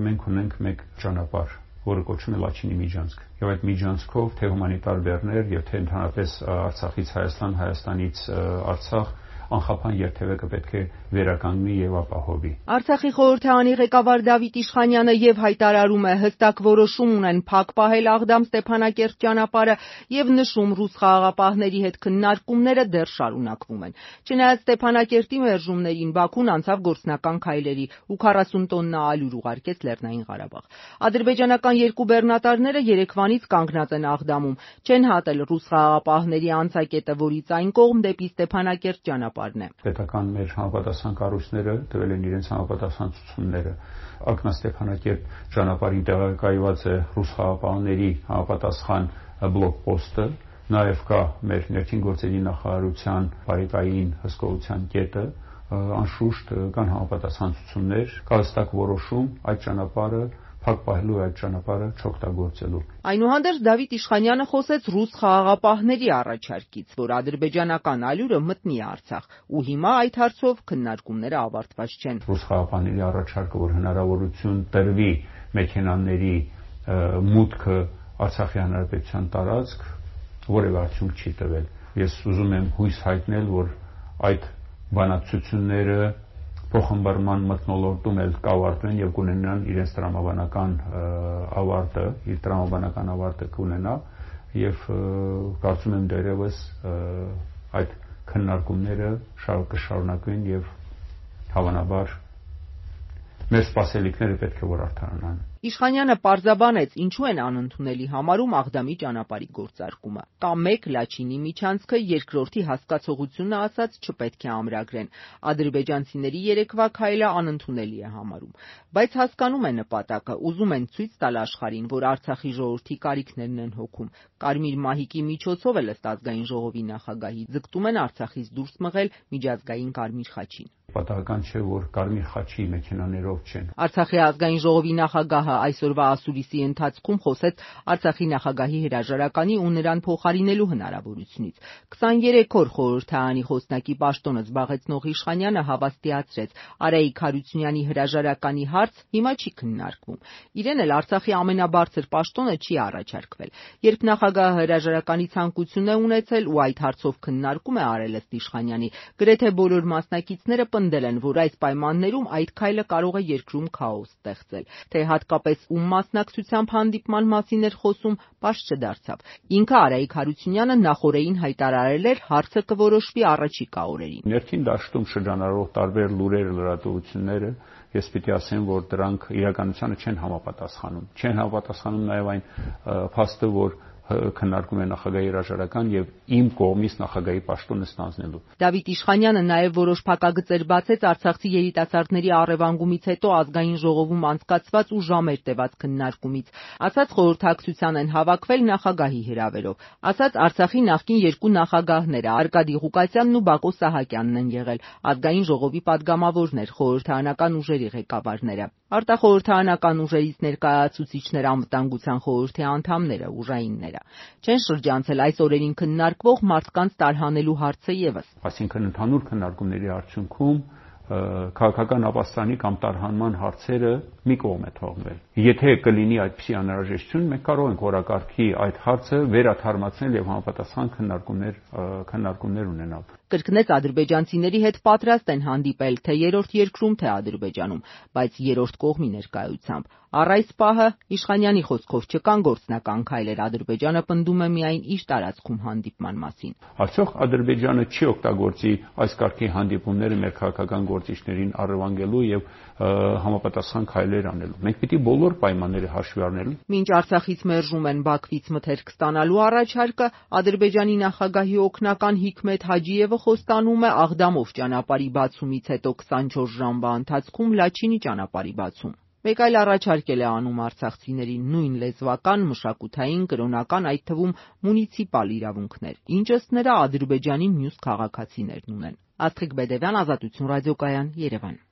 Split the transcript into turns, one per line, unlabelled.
Մենք ունենք մեկ ճանապարհ, որը կոչվում է Լաչինի միջանցք, եւ այդ միջանցքով թե հումանիտար բեռներ եւ թե ընդհանրապես Արցախից Հայաստան, Հայաստանից Արցախ անխափան երթևեկը պետք է վերականգնի եւ ապահովի։
Արցախի խորհրդարանի ղեկավար Դավիթ Իշխանյանը եւ հայտարարում է հստակ որոշում ունեն փակ պահել Աղդամ-Ստեփանակերտ ճանապարհը եւ նշում ռուս խաղաղապահների հետ քննարկումները դեռ շարունակվում են։ Չնայած Ստեփանակերտի մերժումներին Բաքուն անցավ գործնական քայլերի ու 40 տոննա ալյուր ուղարկեց Լեռնային Ղարաբաղ։ Ադրբեջանական երկու բեռնատարները երեկվանից կանգնած են Աղդամում, չեն հատել ռուս խաղաղապահների անցակետը, որից այն կողմ դեպի Ստեփանակերտ ճանապարհն է։
Պետական մեր համապատասխան կառույցները տվել են իրենց համապատասխան ցուցումները։ Ակնաստեփանակերտ ճանապարհին տեղակայված է ռուս խաղաղապահների համապատասխան բլոկպոստը, նաև կա մեր ներքին գործերի նախարարության բարեկային հսկողության կետը, անշուշտ կան համապատասխան ցուցումներ, կա հստակ որոշում այդ ճանապարհը փակ պահելու, այդ ճանապարհը չօգտագործելու։
Այնուհանդերձ Դավիթ Իշխանյանը խոսեց ռուս խաղաղապահների առաջարկից, որ ադրբեջանական ալյուրը մտնի Արցախ, ու հիմա այդ հարցով քննարկումները ավարտված չեն։
Ռուս խաղաղապահների առաջարկը, որ հնարավորություն տրվի մեքենաների մուտքը Արցախի հանրապետության տարածք, որևէ արդյունք չի տվել։ Ես ուզում եմ հույս հայտնել, որ այդ բանակցությունները փոխհմբռնման մթնոլորտում էլ կավարտվեն եւ կունենան իրենց տրամաբանական ավարտը կունենա եւ կարծում եմ դերևս այդ քննարկումները կշարունակվեն եւ հավանաբար մեր սպասելիքները պետք է որ արդարանան։
Իշխանյանը պարզաբանեց, ինչու են անընդունելի համարում Աղդամի ճանապարհի գործարկումը։ Կա մեկ Լաչինի միջանցքը, երկրորդի հասկացողությունը ասած չպետք է ամրագրեն։ Ադրբեջանցիների երեկվա քայլը անընդունելի է համարում, բայց հասկանում է նպատակը, ուզում են ցույց տալ աշխարհին, որ Արցախի ժողովրդի կարիքներն են հոգում։ Կարմիր մահիկի միջոցով էլ ըստ ազգային ժողովի նախագահի ձգտում են Արցախից դուրս մղել միջազգային Կարմիր խաչին։
Պատահական չէ, որ Կարմիր խաչի մեքենաներով չեն։
Արցախի ազգային ժողովի նախագահը այսօրվա ասուլիսի ընթացքում խոսեց Արցախի նախագահի հրաժարականի ու նրան փոխարինելու հնարավորությունից։ 23 օր խորհրդարանի խոսնակի պաշտոնը զբաղեցնող Իշխանյանը հավաստիացրեց, Արայիկ Հարությունյանի հրաժարականի հարց հիմա չի քննարկվում։ Իրեն էլ Արցախի ամենաբարձր պաշտոնը չի առաջարկվել։ Երբ նախագահը հրաժարականի ցանկություն է ունեցել ու այդ հարցով քննարկում է արել ըստ Իշխանյանի, գրեթե բոլոր մասնակիցները պնդել են, որ այս պայմաններում այդ քայլը կարող է երկրում քաոս ստեղծել, թե հատկապես ում մասնակցությամբ հանդիպման մասին էր խոսում, պարզ չդարձավ։ Ինքը Արայիկ Հարությունյանը նախօրեին հայտարարել էր, հարցը կորոշվի առաջիկա օրերին։
Ներքին դաշտում շրջանառվող տարբեր լուրեր, լրատվությունները, ես պիտի ասեմ, որ դրանք իրականությանը չեն համապատասխանում։ Չեն համապատասխանում նաև այն փաստը, որ քննարկում է նախագահի հրաժարական եւ իմ կողմից նախագահի պաշտոնը ստանձնելու։
Դավիթ Իշխանյանը նաև որոշ փակագծեր բացեց Արցախցի երիտասարդների առևանգումից հետո ազգային ժողովում անցկացված ու ժամեր տևած քննարկումից։ Ասաց խորհրդակցության են հավաքվել նախագահի հրավերով։ Ասաց Արցախի նախկին երկու նախագահները Արկադի Ղուկասյանն ու Բակո Սահակյանն են եղել, ազգային ժողովի падգամավորներ, խորհրդարանական ուժերի ղեկավարները, արտախորհրդարանական ուժերից ներկայացուցիչներ, անվտանգության խորհրդի անդամները, ուժայինները։ Չեն շրջանցել այս օրերին քննարկվող մարդկանց տարհանելու հարցը եւս։
Այսինքն ընդհանուր քննարկումների արդյունքում քաղաքական ապաստանի կամ տարհանման հարցերը մի կողմ է թողնել։ Եթե կլինի այդպիսի անհրաժեշտություն, մենք կարող ենք օրակարգի այդ հարցը վերաթարմացնել եւ համապատասխան քննարկումներ ունենալ։
Կրկնեց ադրբեջանցիների հետ պատրաստ են հանդիպել թե երրորդ երկրում, թե Ադրբեջանում, բայց երրորդ կողմի ներկայությամբ։ Առ այս պահը Իշխանյանի խոսքով չկան գործնական քայլեր, Ադրբեջանը պնդում է միայն իր տարածքում հանդիպման մասին։
Արդյոք Ադրբեջանը չի օգտագործի այս կարգի հանդիպումները մեր քաղաքական գործիչներին առևանգելու եւ համապատասխան քայլեր անելու։ Մենք պիտի բոլոր պայմանները հաշվի առնելու։
Մինչ Արցախից մերժում են Բաքվից մթերք ստանալու առաջարկը, Ադրբեջանի նախագահի օգնական Հիկմեթ Հաջիևը խոստանում է Աղդամով ճանապարհի բացումից հետո 24 ժամվա ընթացքում Լաչինի ճանապարհի բացում։ Մեկ այլ առաջարկ է անում արցախցիներին նույն լեզվական, մշակութային, կրոնական, այդ թվում մունիցիպալ իրավունքներ, ինչ ըստ նրա Ադրբեջանի մյուս քաղաքացիներն ունեն։ Աստղիկ Բեդևյան, Ազատություն ռադիոկայան, Երևան։